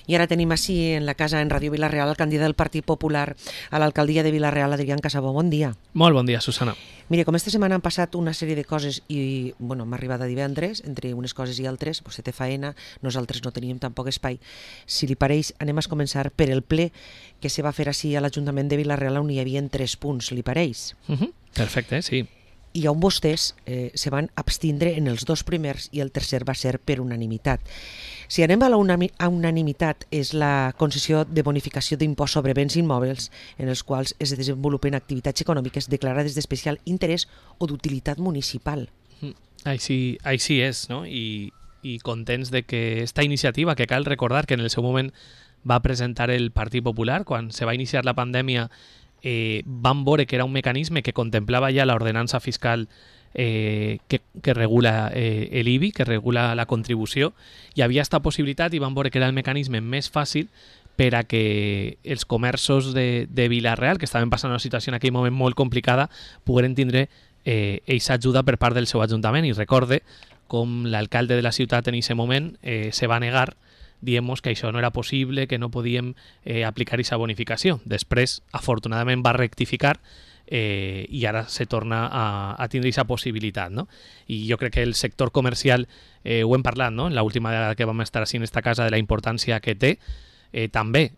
I ara tenim així en la casa, en Ràdio Vila-real, el candidat del Partit Popular a l'alcaldia de Vila-real, Adrián Casabó. Bon dia. Molt bon dia, Susana. Mire, com esta setmana han passat una sèrie de coses i, bueno, m'ha arribat a divendres, entre unes coses i altres, vostè té faena, nosaltres no teníem tampoc espai. Si li pareix, anem a començar per el ple que se va fer així a l'Ajuntament de Vila-real, on hi havia 3 punts, li pareix? Perfecte, sí. I on vostès se van abstindre en els 2 primers i el tercer va ser per unanimitat. Si anem a la unanimitat, és la concessió de bonificació d'impost sobre béns immòbils en els quals es desenvolupen activitats econòmiques declarades d'especial interès o d'utilitat municipal. Així és, no? I contents de que esta iniciativa, que cal recordar que en el seu moment va presentar el Partit Popular, quan se va iniciar la pandèmia, van veure que era un mecanisme que contemplava ja l'ordenança fiscal que regula l'IBI, que regula la contribució. Hi havia aquesta possibilitat i van veure que era el mecanisme més fàcil per a que els comerços de Vila-real, que estaven passant una situació en aquell moment molt complicada, pogueren tindre aquesta ajuda per part del seu ajuntament. I recorde com l'alcalde de la ciutat en aquest moment se va negar dient-nos que això no era possible, que no podíem aplicar aquesta bonificació. Després, afortunadament, va rectificar i ara se torna a tindre aquesta possibilitat, no? I jo crec que el sector comercial, ho hem parlat, no?, en l'última vegada que vam estar així en esta casa, de la importància que té. També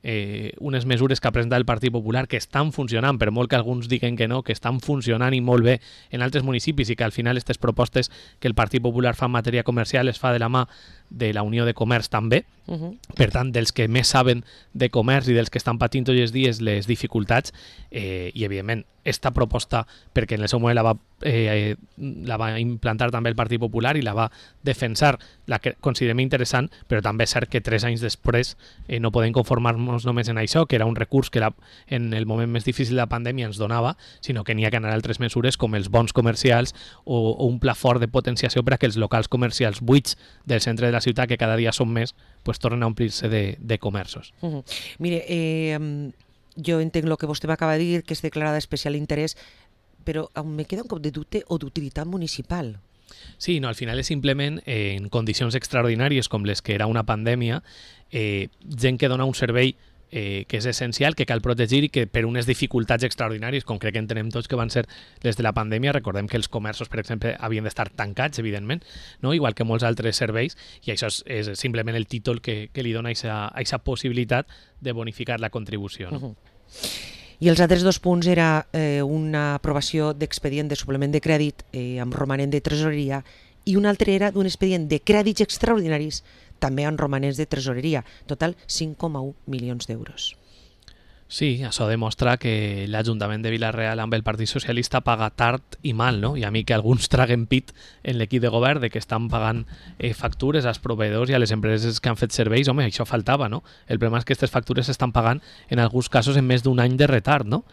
unes mesures que ha presentat el Partit Popular que estan funcionant, per molt que alguns diguen que no, que estan funcionant i molt bé en altres municipis i que al final aquestes propostes que el Partit Popular fa en matèria comercial es fa de la mà de la Unió de Comerç també. Per tant, dels que més saben de comerç i dels que estan patint tots els dies les dificultats, i evidentment esta proposta, perquè en el seu moment la va implantar també el Partit Popular i la va defensar, la que considerem interessant, però també és cert que 3 anys després no podem conformar-nos només en això, que era un recurs que en el moment més difícil de la pandèmia ens donava, sinó que n'hi ha que anar a altres mesures com els bons comercials o un pla fort de potenciació per a que els locals comercials buits del centre de la ciutat, que cada dia són més, pues tornen a omplir-se de comerços. Mire, jo entenc el que vostè m'acaba de dir, que és declarada d'especial interès, però me queda un cop de dubte o d'utilitat municipal. Sí, no, al final és simplement en condicions extraordinàries com les que era una pandèmia, gent que dona un servei que és essencial, que cal protegir i que per unes dificultats extraordinàries, com crec que entenem tots que van ser des de la pandèmia, recordem que els comerços, per exemple, havien d'estar tancats, evidentment, no? Igual que molts altres serveis, i això és simplement el títol que li dona aquesta possibilitat de bonificar la contribució. No? I els altres 2 punts era una aprovació d'expedient de suplement de crèdit amb romanent de tresoreria i un altre era d'un expedient de crèdits extraordinaris també amb romanents de tresoreria, total 5,1 milions d'euros. Sí, això demostra que l'Ajuntament de Vila-real amb el Partit Socialista paga tard i mal, no? I a mi que alguns traguen pit en l'equip de govern de que estan pagant factures als proveïdors i a les empreses que han fet serveis, home, això faltava, no? El problema és que aquestes factures s'estan pagant en alguns casos en més d'un any de retard, no?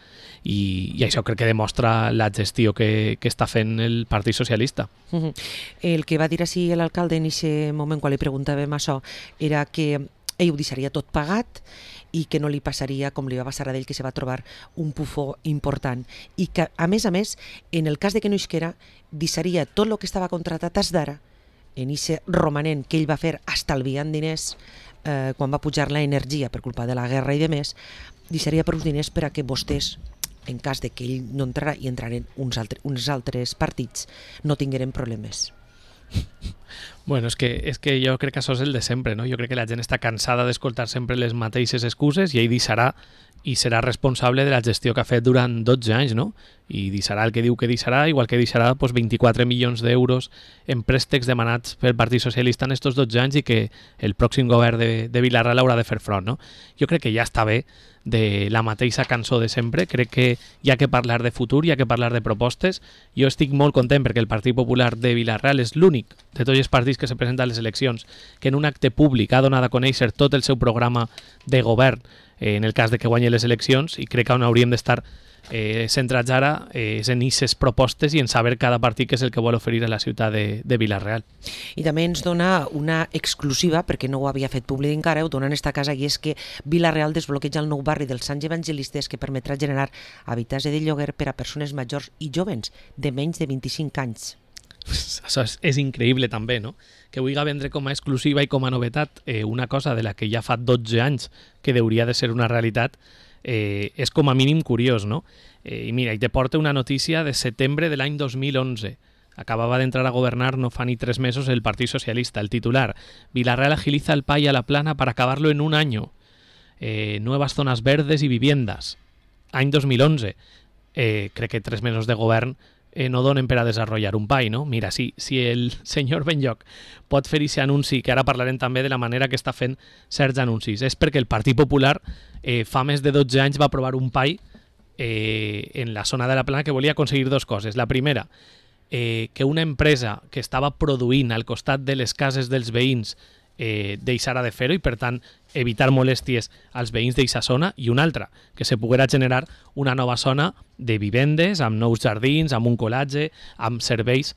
I això crec que demostra la gestió que està fent el Partit Socialista. El que va dir així l'alcalde en aquest moment quan li preguntàvem això era que ell ho deixaria tot pagat i que no li passaria com li va passar a ell, que se va trobar un pufó important i que, a més, en el cas de que no isquera, deixaria tot el que estava contratat des d'ara en aquest romanent que ell va fer estalviant diners quan va pujar l'energia per culpa de la guerra i de més, deixaria per uns diners per a que vostès, en cas de que ell no entrarà i entraren uns altres partits, no tingueren problemes. Bueno, és que jo crec que això és el de sempre, no? Jo crec que la gent està cansada d'escoltar sempre les mateixes excuses i ell deixarà i serà responsable de la gestió que ha fet durant 12 anys, no? I deixarà el que diu que deixarà, igual que deixarà 24 milions d'euros en préstecs demanats pel Partit Socialista en aquests 12 anys i que el pròxim govern de Vila-real haurà de fer front, no? Jo crec que ja està bé de la mateixa cançó de sempre, crec que hi ha que parlar de futur, hi ha que parlar de propostes. Jo estic molt content perquè el Partit Popular de Vila-real és l'únic de tots els partits que se presenten a les eleccions que en un acte públic ha donat a conèixer tot el seu programa de govern en el cas de que guanyi les eleccions, i crec que on hauríem d'estar centrats ara és en aquestes propostes i en saber cada partit què és el que vol oferir a la ciutat de Vila-real. I també ens dona una exclusiva, perquè no ho havia fet públic encara, ho dona en esta casa, i és que Vila-real desbloqueja el nou barri dels Sants Evangelistes que permetrà generar habitatge de lloguer per a persones majors i jovens de menys de 25 anys. Això és increïble també, no? que vulgui vendre com a exclusiva i com a novetat una cosa de la que ja fa 12 anys que hauria de ser una realitat, és com a mínim curiós, no? I mira, i te porta una notícia de setembre de l'any 2011. Acababa de entrar a gobernar no fa ni 3 mesos el Partido Socialista. El titular: Villarreal agiliza el PAI a la plana para acabarlo en un año. Nuevas zonas verdes y viviendas. Any 2011. Crec que 3 mesos de govern no donen per a desenvolupar un PAI, no? Mira, si el senyor Benlloch pot fer aquest anunci, que ara parlarem també de la manera que està fent certs anuncis, és perquè el Partit Popular fa més de 12 anys va aprovar un PAI en la zona de la plana que volia aconseguir 2 coses. La primera, que una empresa que estava produint al costat de les cases dels veïns deixara de fer-ho i, per tant, evitar molèsties als veïns d'aquesta zona, i una altra, que se poguera generar una nova zona de vivendes, amb nous jardins, amb un colatge, amb serveis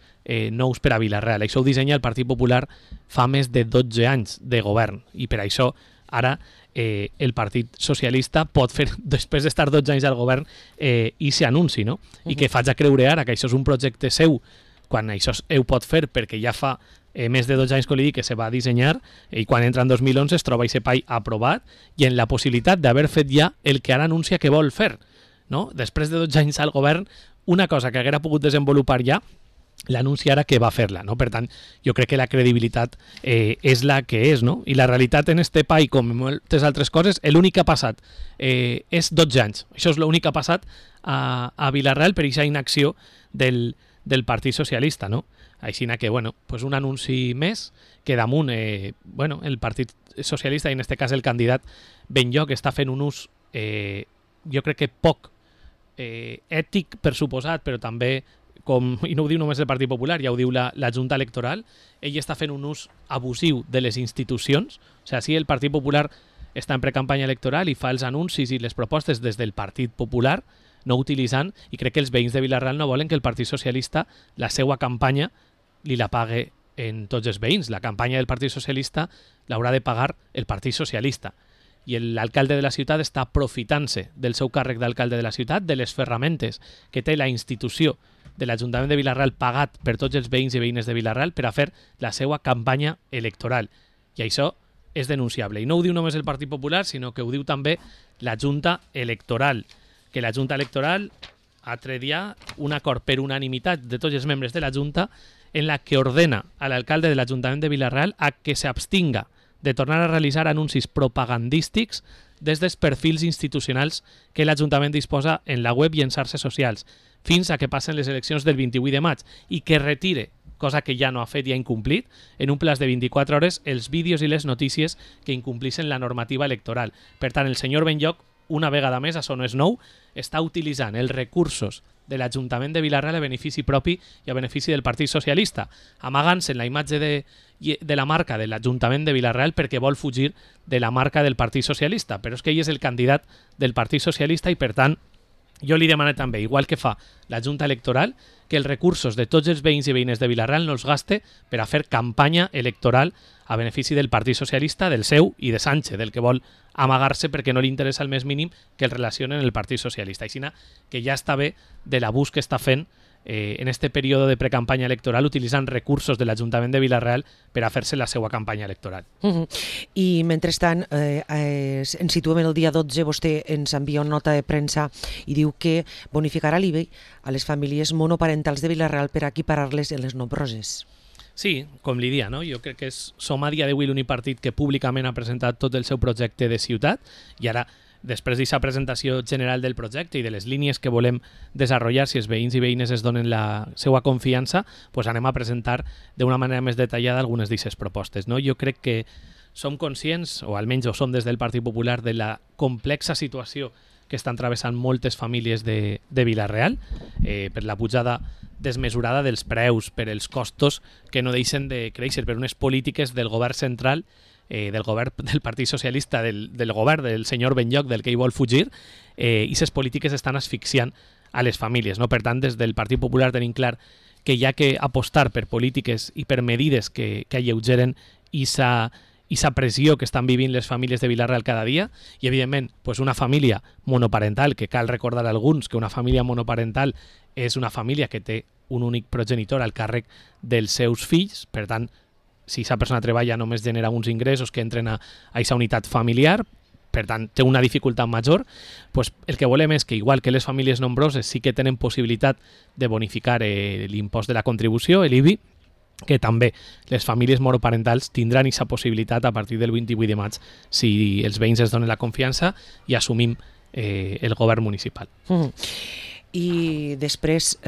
nous per a Vila-real. Això ho dissenya el Partit Popular fa més de 12 anys de govern, i per això ara el Partit Socialista pot fer, després d'estar 12 anys al govern, i s'anunci, no? I que faig a creure ara que això és un projecte seu, quan això ho pot fer perquè ja fa més de 12 anys que li dic que se va dissenyar, i quan entra en 2011 es troba aquest PAI aprovat i en la possibilitat d'haver fet ja el que ara anuncia que vol fer, no? Després de 12 anys al govern, una cosa que haguera pogut desenvolupar ja, l'anunci ara que va fer-la, no? Per tant, jo crec que la credibilitat és la que és, no? I la realitat en este PAI, com en moltes altres coses, l'únic que ha passat és 12 anys. Això és l'únic que ha passat a Vila-real per aquesta inacció del Partit Socialista, no? Així que, bueno, pues un anunci més que damunt, bueno, el Partit Socialista, i en este cas el candidat Benlloch, està fent un ús, jo crec que poc ètic, per suposat, però també, i no ho diu només el Partit Popular, ja ho diu la Junta Electoral, ell està fent un ús abusiu de les institucions. O sigui, si el Partit Popular està en precampanya electoral i fa els anuncis i les propostes des del Partit Popular, no utilitzant, i crec que els veïns de Vila-real no volen que el Partit Socialista la seva campanya li la pague en tots els veïns. La campanya del Partit Socialista l'haurà de pagar el Partit Socialista. I l'alcalde de la ciutat està aprofitant-se del seu càrrec d'alcalde de la ciutat, de les ferramentes que té la institució de l'Ajuntament de Vila-real pagat per tots els veïns i veïnes de Vila-real per a fer la seva campanya electoral. I això és denunciable. I no ho diu només el Partit Popular, sinó que ho diu també la Junta Electoral, que la Junta Electoral ha tret ja un acord per unanimitat de tots els membres de la Junta en la que ordena a l'alcalde de l'Ajuntament de Vila-real a que s'abstinga de tornar a realitzar anuncis propagandístics des dels perfils institucionals que l'Ajuntament disposa en la web i en xarxes socials, fins a que passen les eleccions del 28 de maig, i que retire, cosa que ja no ha fet i ha incomplit, en un plaç de 24 hores els vídeos i les notícies que incomplissin la normativa electoral. Per tant, el senyor Benlloch, una vegada més, això no és nou, està utilitzant els recursos de l'Ajuntament de Vila-real a benefici propi i a benefici del Partit Socialista, amagant-se en la imatge de la marca de l'Ajuntament de Vila-real perquè vol fugir de la marca del Partit Socialista. Però és que ell és el candidat del Partit Socialista i, per tant, jo li demano també, igual que fa la Junta Electoral, que els recursos de tots els veïns i veïnes de Vila-real no els gaste per a fer campanya electoral a benefici del Partit Socialista, del seu i de Sánchez, del que vol amagar-se perquè no li interessa el més mínim que el relacionen el Partit Socialista. Així que ja està bé de l'abús que està fent en este període de precampanya electoral utilitzant recursos de l'Ajuntament de Vila-real per a fer-se la seva campanya electoral. I mentrestant, ens situem el dia 12, vostè ens envia una nota de premsa i diu que bonificarà l'IBI a les famílies monoparentals de Vila-real per a equiparar-les en les nombroses. Sí, com li dia, no? Jo crec que som a dia d'avui l'únic partit que públicament ha presentat tot el seu projecte de ciutat, i ara, després d'aquesta presentació general del projecte i de les línies que volem desenvolupar, si els veïns i veïnes es donen la seva confiança, pues anem a presentar d'una manera més detallada algunes d'aquestes propostes, no? Jo crec que som conscients, o almenys ho som des del Partit Popular, de la complexa situació que estan travessant moltes famílies de Vila-real, per la pujada desmesurada dels preus, per els costos que no deixen de créixer, per unes polítiques del govern central, del govern del Partit Socialista, del govern del senyor Benlloch, del que ell vol fugir, i aquestes polítiques estan asfixiant a les famílies, no? Per tant, des del Partit Popular tenim clar que hi ha que apostar per polítiques i per medides que alleugeren aquesta pressió que estan vivint les famílies de Vila-real cada dia, i evidentment pues una família monoparental, que cal recordar a alguns que una família monoparental és una família que té un únic progenitor al càrrec dels seus fills, per tant si aquesta persona treballa només genera uns ingressos que entren a aquesta unitat familiar, per tant, té una dificultat major, pues el que volem és que, igual que les famílies nombroses sí que tenen possibilitat de bonificar l'impost de la contribució, l'IBI, que també les famílies monoparentals tindran aquesta possibilitat a partir del 28 de maig si els veïns es donen la confiança i assumim el govern municipal. I després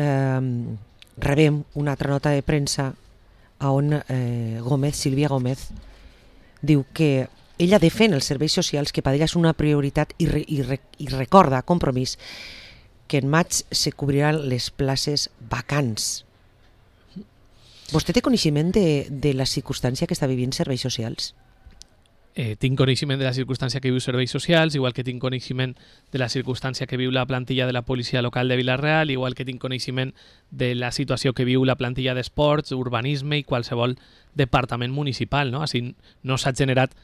rebem una altra nota de premsa on Sílvia Gómez diu que ella defèn els serveis socials, que per ella és una prioritat i recorda, compromís, que en maig se cobriran les places vacants. Vostè té coneixement de la circumstància que està vivint serveis socials? Tinc coneixement de la circumstància que viu serveis socials, igual que tinc coneixement de la circumstància que viu la plantilla de la policia local de Vila-real, igual que tinc coneixement de la situació que viu la plantilla d'esports, urbanisme i qualsevol departament municipal, no? Així no s'ha generat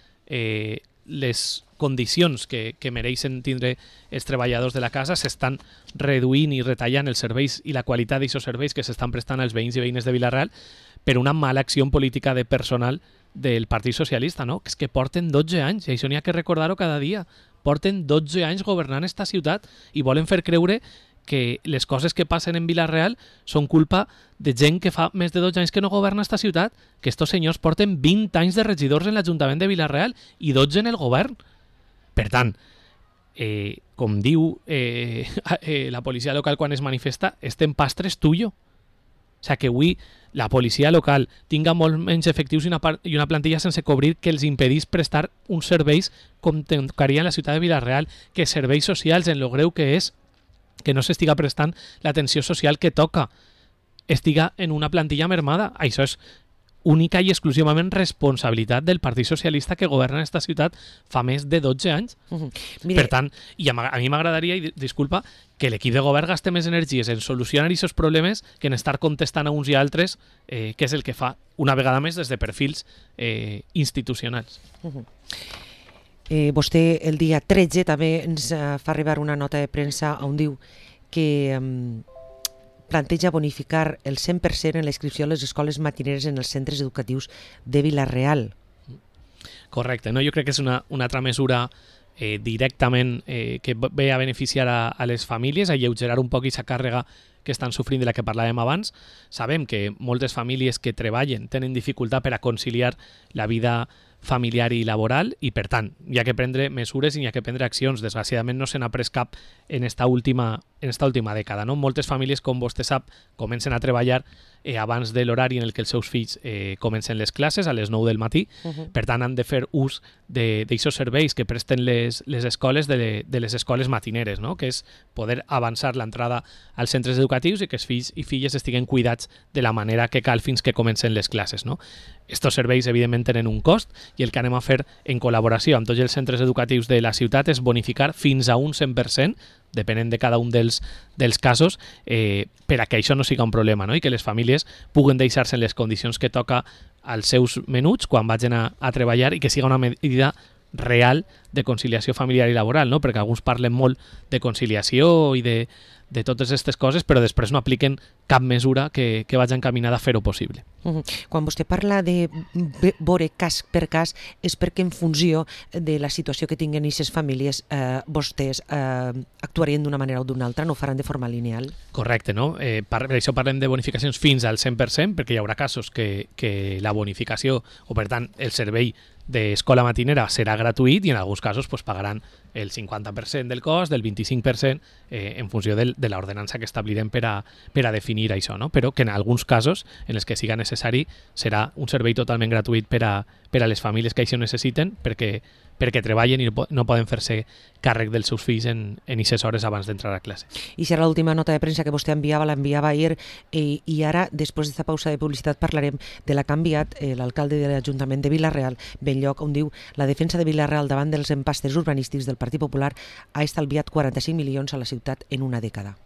les condicions que mereixen tindre els treballadors de la casa, s'estan reduint i retallant els serveis i la qualitat d'aquests serveis que s'estan prestant als veïns i veïnes de Vila-real per una mala acció política de personal del Partit Socialista, no? Que és que porten 12 anys, i això n'hi ha que recordar-ho cada dia, porten 12 anys governant esta ciutat i volen fer creure que les coses que passen en Vila-real són culpa de gent que fa més de 12 anys que no governa esta ciutat, que estos senyors porten 20 anys de regidors en l'Ajuntament de Vila-real i 12 en el govern. Per tant, com diu la policia local quan es manifesta, este empastre és tuyo. O sigui que avui la policia local tinga molt menys efectius i una plantilla sense cobrir que els impedís prestar uns serveis com tocaria en la ciutat de Vila-real, que serveis socials, en lo greu que és, que no s'estiga prestant l'atenció social que toca, estiga en una plantilla mermada. Això és única i exclusivament responsabilitat del Partit Socialista que governa aquesta ciutat fa més de 12 anys. Per tant, i a mi m'agradaria, i disculpa, que l'equip de govern gaste més energies en solucionar aquests problemes que en estar contestant a uns i altres, que és el que fa una vegada més des de perfils institucionals. Vostè el dia 13 també ens fa arribar una nota de premsa on diu que planteja bonificar el 100% en la inscripció a les escoles matineres en els centres educatius de Vila-real. Correcte, no? Jo crec que és una altra mesura directament que ve a beneficiar a les famílies, a alleugerar un poc aquesta càrrega que estan sofrint de la que parlàvem abans. Sabem que moltes famílies que treballen tenen dificultat per a conciliar la vida familiar i laboral i, per tant, hi ha que prendre mesures i hi ha que prendre accions. Desgraciadament no se n'ha pres cap en esta última dècada. No? Moltes famílies, com vostè sap, comencen a treballar abans de l'horari en el que els seus fills comencen les classes, a les 9 del matí. Per tant, han de fer ús d'aquests serveis que presten les escoles de les escoles matineres, no? Que és poder avançar l'entrada als centres educatius i que els fills i filles estiguen cuidats de la manera que cal fins que comencen les classes. No? Estos serveis, evidentment, tenen un cost i el que anem a fer en col·laboració amb tots els centres educatius de la ciutat és bonificar fins a un 100%, depenent de cada un dels casos, per a que això no siga un problema, no? I que les famílies puguen deixar-se en les condicions que toca als seus menuts quan vagin a treballar i que siga una medida real de conciliació familiar i laboral, no? Perquè alguns parlen molt de conciliació i de totes aquestes coses, però després no apliquen cap mesura que vagi encaminada a fer-ho possible. Quan vostè parla de veure cas per cas, és perquè en funció de la situació que tinguen aquestes famílies, vostès actuarien d'una manera o d'una altra, no ho faran de forma lineal? Correcte, no? Per això parlem de bonificacions fins al 100%, perquè hi haurà casos que la bonificació, o per tant el servei d'escola matinera serà gratuït i en alguns casos pagaran el 50% del cost, del 25% en funció de l'ordenança que establirem per a definir això, no? Però que en alguns casos en els que siga necessari serà un servei totalment gratuït per a les famílies que això necessiten perquè treballen i no poden fer-se càrrec dels seus fills en aquestes hores abans d'entrar a classe. I serà l'última nota de premsa que vostè l'enviava ahir i ara, després d'esta pausa de publicitat, parlarem de la que ha enviat l'alcalde de l'Ajuntament de Vila-real, Benlloc, on diu la defensa de Vila-real davant dels empastres urbanístics del Partit Popular ha estalviat 45 milions a la ciutat en una dècada.